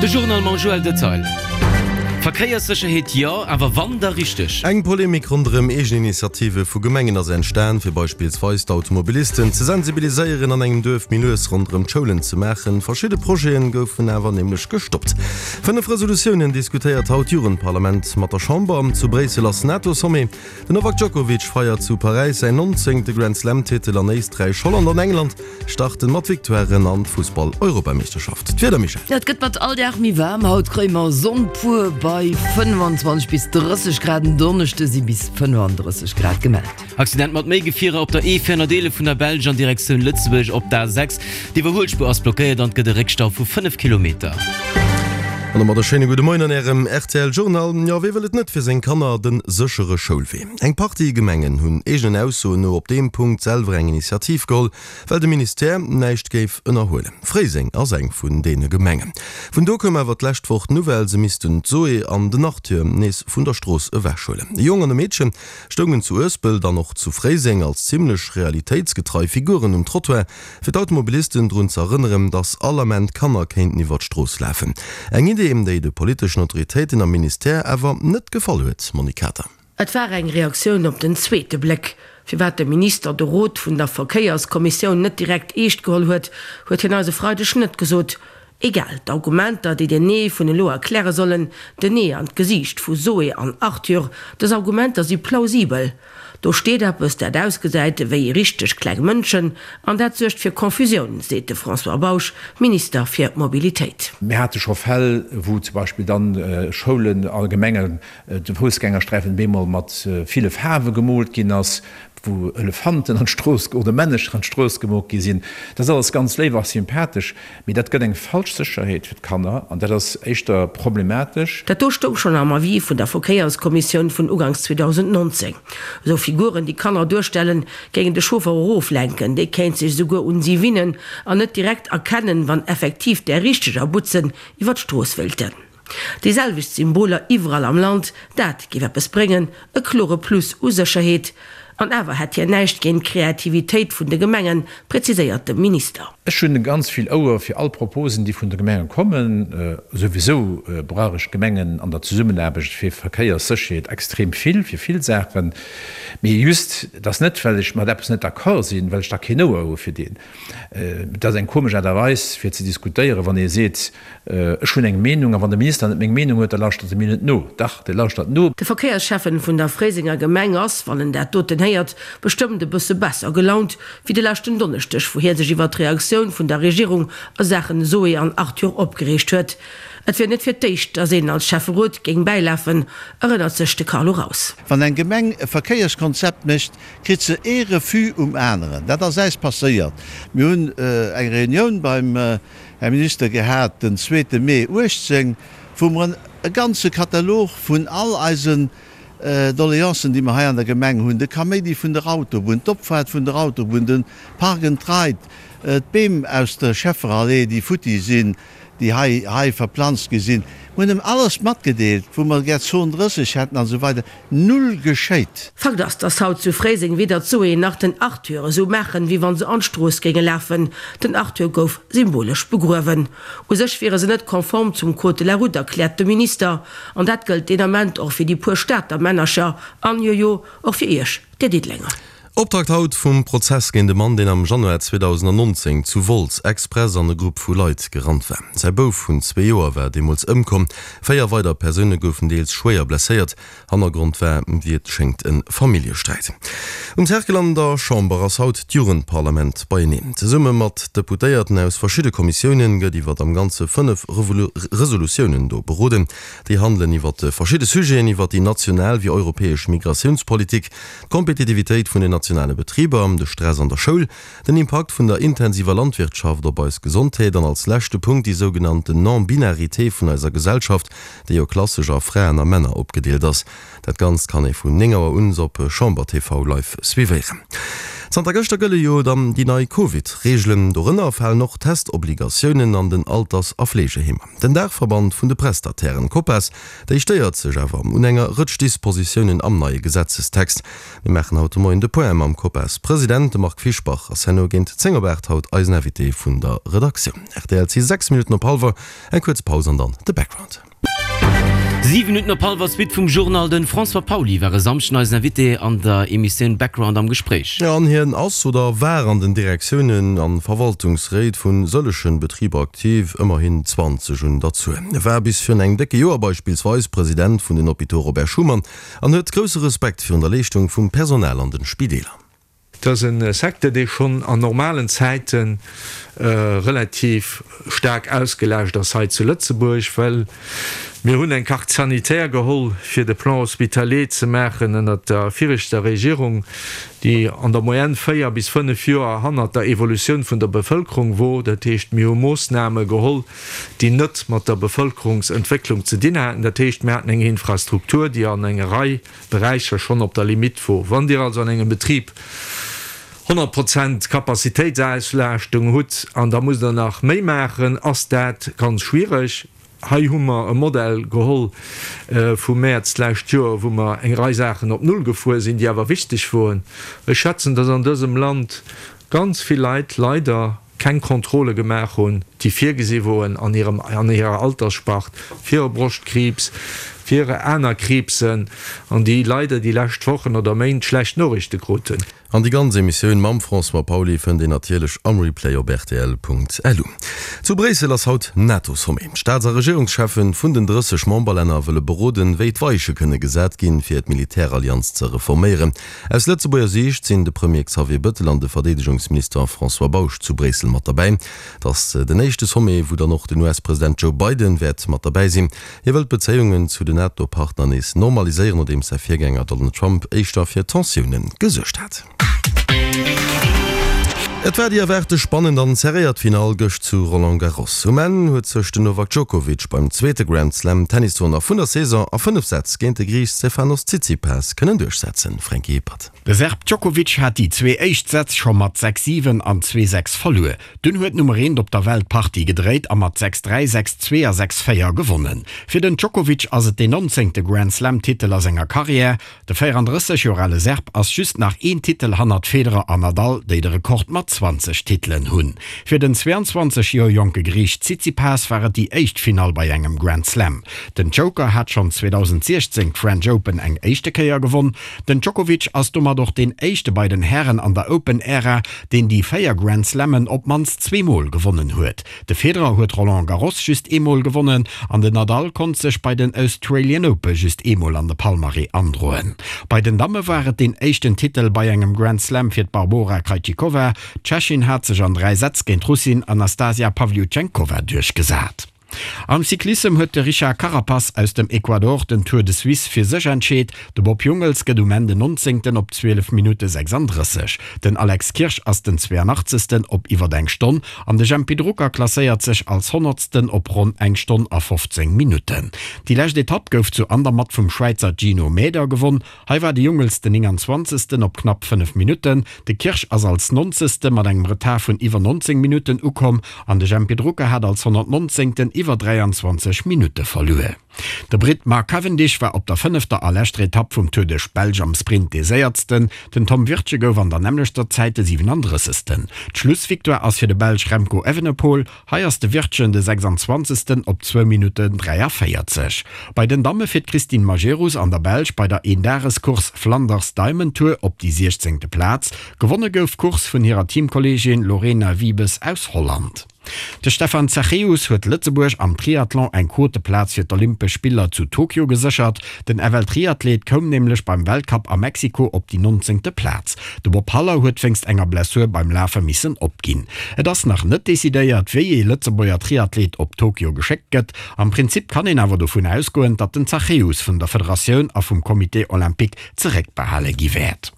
De Journal mam Joël Detail. Verkéierssécherheet jo, awer wann, da richteg. Eng Polemik ronderëm Eegeninitiative vu Gemengen ass entstan, fir beispillsweis d'Automobilisten ze sensibiliséieren, an engem Duerf méi lues ronderëm d'Schoulen ze maachen. Verschidde Projete goufen awer nämlech gestoppt. 5 Resolutiounen diskutéiert haut d'Jugendparlament mat der Chamber. Zu Bréissel ass NATO-Sommet. Den Novak Djokovic feiert zu Paräis säin 19. Grand-Slam-Titel an Éisträich, Holland an England starten mat Victoiren an d'Fussball-Europameeschterschaft. D'Wieder, Michèle? Et gëtt mat all Dag méi waarm, haut kréie mer Sonn pur bei 25 bis 30 Grad, en Donneschde si bis 35 Grad gemellt. Accident mat méi Gefierer op der E411 vun der Belsch an Direktioun Lëtzebuerg op d'A6. D'Iwwerhuelspuer ass blockéiert an et gëtt e Réckstau vu 5 Kilometer. An domat e schéine gudde Moien an Ärem rtl Journal. Jo, wee wëll et net fir seng Kanner, de séchere Schoulwee? Eng Partie Gemengen hunn eegenen Aussoen no op deem Punkt selwer eng Initiativ geholl, well de Ministère näischt géif ënnerhuelen. Fréiseng ass eng vun deene Gemengen. Vun do koum awer d'lescht Woch d'Nouvelle, se missten d'Zoé an den Arthur nees vun der Strooss ewechhuelen. E Jong an e Meedchen stoungen zu Uespelt an och zu Fréiseng als zimmlech realitéitsgetrei Figuren um Trottoir, fir d'Automobilisten drun ze erënneren, dass all Ament Kanner kéinten iwwer d'Strooss lafen. Eng Idee, déi de politeschen Autoritéiten am Ministère awer net gefall huet, Monique Kater. Et war eng Reaktioun op den zweete Bléck. Firwat de Minister de Rot vun der Verkéierskommissioun net direkt eescht geholl huet, huet hien eis e Freideg net gesot. Egal, d'Argumenter, déi den Nee vun elo erkläre sollen, den Nee an d'Gesiicht vu Zoé an Arthur, dës Argumenter si plausibel. Do steet eppes, dat ausgesäit wéi richteg kleng Mënschen, an dat suergt fir Confusioun, seet de François Bausch, Minister fir Mobilitéit. Mir hate scho Fäll, wou zum Beispill dann Schoulen a Gemengen de Foussgängersträifen bemol mat ville Faarwe gemoolt ginn ass, wou Elefanten an d'Strooss oder Männecher an d'Strooss gemoolt gi sinn. Dat ass alles ganz léif a sympathesch, mee dat gëtt eng falsch Sécherheet fir d'Kanner an dat ass éischter problematesch. Dat do stoung schonn am Avis vun der Verkéierskommissioun vun uganks 2019. Esou Figuren, déi Kanner duerstellen, géingen de Chauffer eroflenken, dee kéint sech esouguer un si winnen an net direkt erkennen, wann effektiv där richteger Butzen iwwer d'Strooss wéilten. Déi selwecht Symboler iwwerall am Land, dat géif eppes bréngen, e klore Plus u Sécherheet. An awer hätt hien näischt géint d'Kreativitéit vun de Gemengen, präziséiert de Minister. Ech hunn ganz vill Ouer fir all Proposen, déi vun de Gemenge kommen. Souwisou brauch ech d'Gemengen an der Zesummenaarbecht fir Verkéierssécherheet extrem vill, fir vill Saachen. Mee just, et ass net, well ech mat eppes net d'accord sinn, well ech da keen Ouer hu fir deen. Et ass eng komesch Aart a Weis fir ze diskutéieren, wann ee seet, Ech hunn eng Meenung, a wann de Minister net meng Meenung huet, da lauschtert e mir net no. Dach, dee lauschtert no. De Verkéiersschäffen vun der Fréisenger Gemeng ass, wann en dat doten héiert, bestëmmt e bësse besser gelaunt wéi de leschten Donneschdeg, wou hie sech iwwer d'Reaktioun vun der Regierung a Saachen Zoé an Arthur opgereegt huet. Et wier net fir d'éischt, datt een als Schäfferot géing bäilafen, erënnert sech de Carlo Raus. Wann eng Gemeng e Verkéierskonzept mécht, kritt se ee Refus um aneren. Dat ass äis passéiert. Mir hunn eng Reunioun beim Här Minister gehat den zweete Mee 18, wou mer e ganze Katalog vun all eisen Doleancen, déi mer hei an der Gemeng hunn, de Kaméidi vun der Autobunn, d'Opfaart vun der Autobunn, de Park and Ride, d'Beem aus der Schefferallee, déi futti sinn, déi hei hei verplanzt gi sinn. Mir hunn em alles matgedeelt, wou mer gär Zon 30 hätten an esou weider. Null geschéit. Fakt ass, dass haut zu Fréiseng weder d'Zoé nach den Arthur esou maachen, wéi wann se an d'Strooss géinge lafen. Den Arthur gouf symbolesch begruewen. U sech wiere se net konform zum Code de la route, erkläert de Minister. An dat gëllt deen Ament och fir déi puer Stater Männercher an, jojo, och fir iech, dir Diddelenger. Optakt haut vum Prozess géint e Mann, deen am Januar 2019 zu Wolz express an e Grupp vu Leit gerannt war. Säi Bouf vun zwee Joer war deemools ëmkomm, 4 weider Persoune goufen deels schwéier blesséiert. Hannergrond war, wéi et schéngt, e Familljesträit. Um Cercle an der Chamber ass haut d'Jugendparlament beieneen. Zesumme mat Deputéierten aus verschidde Kommissioune gëtt iwwer am Ganze 5 Resolutiounen do beroden. Déi handelen iwwer verschidde Sujeten, iwwer déi national wéi europäesch Migratiounspolitik, d'Kompetitivitéit vun den nationale Betriber, de Stress an der Schoul, den Impakt vun der intensiver Landwirtschaft op eis Gesondheet an als leschte Punkt déi sougenannten Non-Binarité vun eiser Gesellschaft, déi jo klassesch a Fraen a Männer opgedeelt ass. Dat Ganzt kann ee vun 9 Auer un op Chamber TV live suivéieren. Zanter gëschter gëlle jo dann déi nei Covid-Reegelen. Dorënner falen och Testobligatiounen an den Alters a Fleegeheemer. Den Daachverband vun de Prestatairen, Copas, déi stéiert sech awer un enger Rëtsch Dispositiounen am neie Gesetzestext. Mir maachen haut de Moien de Point mam Copas-President. De Marc Fischbach ass herno géint 10 op 8 haut eisen Invité vun der Redaktioun. Rtl, 't si 6 Minutten op hallwer. Eng kuerz Paus an dann de Background. 7 Minutten op hallwer Suite vum Journal. De François Pauly war e Samschden eisen Invité an der Emissioun Background am Gespréich. An hien ass oder war an den Direktiounen an Verwaltungsréit vun sëllechen Betriber aktiv, ëmmerhin 20 un der Zuel. E war bis virun engem décke Joer beispillsweis President vun den Hôpitaux Robert Schuman an huet grousse Respekt virun der Leeschtung vum Personal an den Spideeler. Et ass e Secteur, dee schonn an normalen Zäite relativ staark ausgelaascht ass hei zu Lëtzebuerg, well mir hunn eng Carte sanitaire geholl, fir de Plan hospitalier ze maachen ënnert der viregter Regierung, déi an der Moyenne 4 bis 5 Joer hannert der Evolutioun vun der Bevëlkerung wor. Dat heescht, mir hu Moossname geholl, déi net mat der Bevëlkerungsentwécklung ze dinn haten. Dat heescht, mir haten eng Infrastruktur, déi an enger Rei Beräicher schonn op der Limitt wor. Wann Dir also an engem Betrib 100 Prozent Capacitéitsauslaaschtung hutt an da musst Der nach méi maachen, ass dat ganz schwiereg. Hei hu mer e Modell geholl vum Mäerz d'lescht Joer, wou mer eng Rei Saachen op Null gefuer sinn, déi awer wichteg woren. Ech schätzen, dass an dësem Land ganz vill Leit leider keng Kontrolle gemaach hunn, déi virgesi woren an hirem, an hirer Altersspart, fir e Broschtkriibs, fir aner Kriibsen, an déi leider déi lescht Wochen oder Méint schlecht Noriichte kruten. An déi ganz Emissioun mam François Pauly fënnt een natierlech am Replay op rtl.lu. Zu Bréissel ass haut NATO-Sommet. D'Staats a Regierungscheffen vun den 30 Memberlänner wëlle beroden, wéi d'Weiche kënne gesat ginn, fir d'Militärallianz ze reforméieren. Aus Lëtzebuerger Siicht sinn de Premier Xavier Bëttel an de Verdeedegungsminister François Bausch zu Bréissel mat derbäi. Et ass den éischte Sommet, wou dann och den US-President Joe Biden wäert mat derbäi sinn. Hie wëll d'Bezéiungen zu den NATO-Partner nees normaliséieren, nodeems säi Virgänger Donald Trump éischter fir Tensioune gesuergt hat. Et war déi erwaarte spannend an serréiert Finall gëscht zu Roland Garros. Um Enn huet sech den Novak Djokovic beim zweete Grand Slam Tennistournoi vun der Saison a 5 Sätz géint de Griich Stefanos Tsitsipas kënnen duerchsetzen. Franky Hippert. De Serb Djokovic hat déi zwee éischt Sätz scho mat 6, 7 an 2, 6 verluer. Dunn huet d'Nummer eent op der Welt d'Partie gedréit a mat 6, 3, 6, 2 a 6, 4 gewonnen. Fir den Djokovic ass et deen nonzéngte Grand Slam Titel a senger Karriär. De 34 Joer ale Serb ass just nach een Titel hannert Federer an Nadal, déi de Rekord mat 20 Titelen hunn. Fir den 22 Joer jonke Griich Tsitsipas war et déi éischt Finall bei engem Grand Slam. Den Joker hat schonn 2016 d'French Open eng éischte Kéier gewonn. Den Djokovic ass domat och deen éischte bei den Hären an der Open-Ära, deen déi 4 Grand Slammen op d'mannst zweemol gewonnen huet. De Federer huet Roland Garros just eemol gewonnen an den Nadal konnt sech bei den Australian Ope just eemol an de Palmarès androen. Bei den Damme war et deen éischten Titel bei engem Grand Slam fir d'Barbora Krejcikova. D'Tschechin hat sech an 3 Sätz géint d'Russin Anastasia Pavlyuchenkova duerchgesat. Am Cyclissem huet de Richard Carapaz aus dem Ecuador den Tour de Suisse fir sech entscheet. De Bob Jungels gëtt um Enn den 19. op 12 Minutte 36. Den Alex Kirsch ass den 82. op iwwert eng Stonn an de Jempy Drucker klasséiert sech als Honnertsten op ronn eng Stonn a 15 Minutten. Déi lescht Etapp gouf zu Andermatt vum Schwäizer Gino Mäder gewonn. Hei war de Jungels den 29. op knapp 5 Minutten. De Kirsch ass als 90. Mat engem Retard vun iwwer 19 Minutten ukomm an de Jempy Drucker hat als 119. Iwwer 23 Minutte verluer. De Britt Mark Cavendish war op der fënnefter a leschter Etapp vum Tour duerch d'Belsch am Sprint dee Séiertsten. Den Tom Wirtgen gouf an der nämmlechter Zäit de 37. D'Schlussvictoire ass fir de Belsch Remco Evenepoel. Hei ass de Wirtgen de 26. op zwou Minutten 43. Bei den Damme fiert d'Christine Majerus an der Belsch bei der Eendagescourse Flanders Diamond Tour op déi 16. Plaz. Gewonne gouf d'Course vun hirer Teamkolleegin Lorena Wiebes aus Holland. De Stefan Zachäus huet Lëtzebuerg am Triathlon eng Quoteplaz fir d'Olympesch Spiller zu Tokio geséchert. Den FL-Triathlet koum nämlech beim Weltcup a Mexiko op déi nonzéngte Plaz. De Bob Haller huet wéinst enger Blessur beim Lafe missen opginn. Et ass nach net decidéiert, wéi ee Lëtzebuerger Triathlet op Tokio geschéckt gëtt. Am Prinzip kann een awer dovun ausgoen, datt den Zachäus vun der Federatioun a vum Comité Olympique zeréckbehale gi wäert.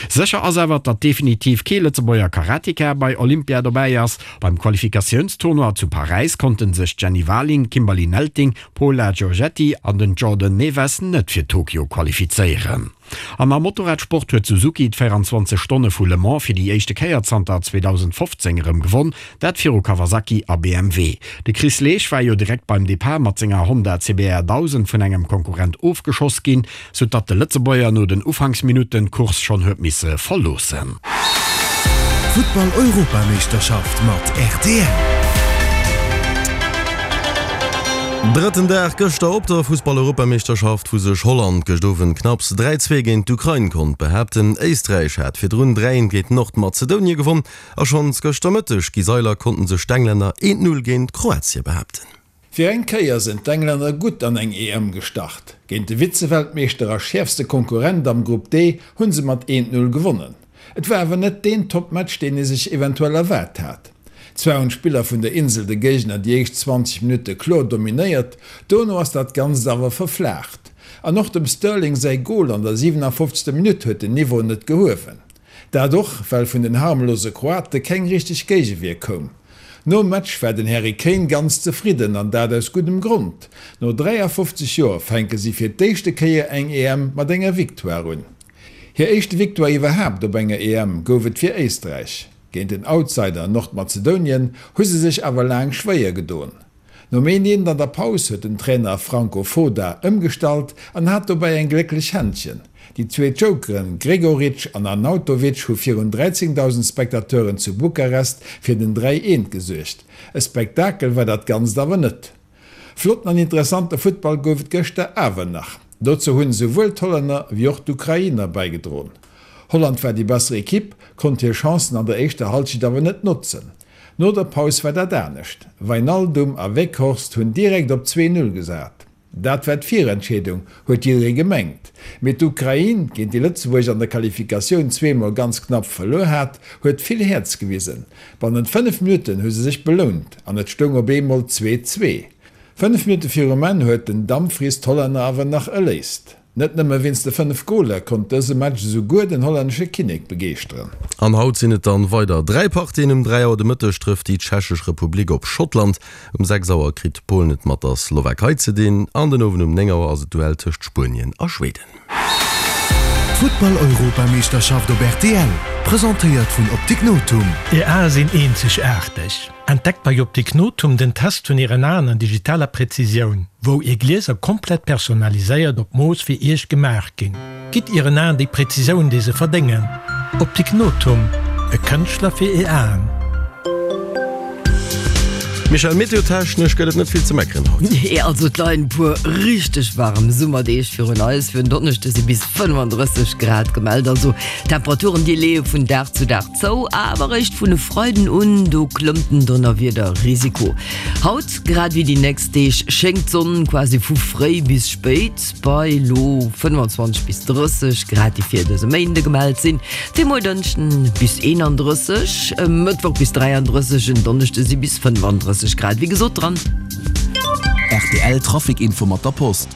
Sécher ass awer, datt definitiv kee Lëtzebuerger Karateka bei Olympia dobäi ass. Beim Qualifikatiounstournoi zu Paräis konnte sech d'Jenny Warling, d'Kimberly Nelting, d'Paula Giorgetti an den Jordan Neves net fir Tokio qualifizéieren. An am Motorradsport huet Suzuki d'24 Stonne vu Le Mans fir déi éischte Kéier zanter 2015 erëm gewonn, dat viru Kawasaki a BMW. De Chris Leesch war jo direkt beim Depart mat senger Honda CBR 1000 vun engem Konkurrent ofgeschoss ginn, sou datt de Lëtzebuerger no den Ufanksminutten d'Course schonn huet misse verloossen. Futtball-Europameeschterschaft mat rtl. Drëtten Dag gëschter op der Fussball-Europameeschterschaft, wou sech Holland gëscht Owend knapps 3, 2 géint d'Ukrain konnt behaapten. Éisträich hat virdrun 3, 1 géint Nordmazedonie gewonn a schonns gëschter Mëtteg gi Sailer konnten sech d'Englänner 1, 0 géint Kroatie behaapten. Fir eng Kéier sinn d'Englänner gutt an eng EM gestart. Géint de Vize-Weltmeeschter a schäerfste Konkurrent am Grupp D hu se mat 1, 0 gewonnen. Et war awer net deen Toppmatch, deen ee sech eventuell erwaart hat. Zwar hunn d'Spiller vun der Insel de Géigner déi éischt 20 Minutte kloer dominéiert, dono ass dat Ganzt awer verflaacht. An och dem Sterling säi Gol an der 57. Minutt huet den Niveau net gehuewen. Dat och, well vun den harmlose Kroate keng richteg Géigewier koum. Nom Match war den Harry Kane ganz zefridden an dat aus guddem Grond. No 53 Joer fänke si fir d'éischte Kéier eng EM mat enger Victoire un. Hir éischte Victoire iwwerhaapt op enger EM gouf et fir Éisträich. Géint den Outsider Nordmazedonien hu se sech awer laang schwéier gedoen. Nom een eent an der Paus huet den Trainer Franco Foda ëmgestallt an hat dobäi eng glécklech Händchen. Déi zwee Jokeren Gregoritsch an Arnautovic hu virun 13.000 Spectateuren zu Bukarest fir den 3 eent gesuergt. E Spektakel war dat Ganzt awer net. Flotten an interessante Futtball gouf et gëschter awer nach. Dozou hunn esouwuel d'Hollänner wéi och d'Ukrainer bäigedroen. Holland war déi besser Ekipp, konnt hir Chancen an der éischter Hallschent awer net notzen. No der Paus war dat anescht. Wijnaldum a Weghorst hunn direkt op 2, 0 gesat. Dat war d'Virentscheedung, huet jidderee gemengt. Mee d'Ukrain, géint déi Lëtzebuerg an der Qualifikatioun zweemol ganz knapp verluer hat, huet vill Häerz gewisen. Bannent 5 Minutten hu se sech belount an et stoung op eemol 2, 2. 5 Minutte virum Enn huet den Dumfries d'Hollänner awer nach erléist. Net nëmme wéinst de 5 Goler konnt dëse Match esouguer den hollännesche Kinnek begeeschteren. An haut sinn et dann weider 3 Partien. Um 3 Auer de Mëtteg trëfft déi Tschechesch Republik op Schottland, um 6 Auer kritt Polen et mat der Slowakei ze dinn an den Owend um 9 Auer ass et d'Duell tëscht Spuenien a Schweden. D'Futtball-Europameeschterschaft op rtl, presentéiert vun Optik Nothum. Är Ae sinn eenzegaarteg. Entdeckt bei Optik Nothum den Test vun Ären Aen an digitaler Präzisioun, wou Är Glieser komplett personaliséiert op Mooss fir Iech gemaach ginn. Gitt Ieren Aen déi Präzisioun, déi se verdéngen. Optik Nothum, e Kënschtler fir Är Aen. Michèle, Meteotechnesch gëtt et net vill ze meckeren haut. Nee, also et leien e puer richteg waarem Summerdeeg virun eis. Fir en Donneschde si bis 35 Grad gemellt. Also Temperaturen, déi leeë vun Dag zu Dag Zou, awer eréischt vun e Freiden un, do klëmmt den Donnerwiederrisiko. Haut, grad ewéi déi nächst Deeg, schéngt d'Sonn quasi vu fréi bis spéit, bei elo 25 bis 30 Grad, déi fir dëse Méinde gemellt sinn. Fir muer Dënschden bis 31, e Mëttwoch bis 33, en Donneschde si bis 35 Grad wéi gesot dran. Rtl Trafic Info mat der Post.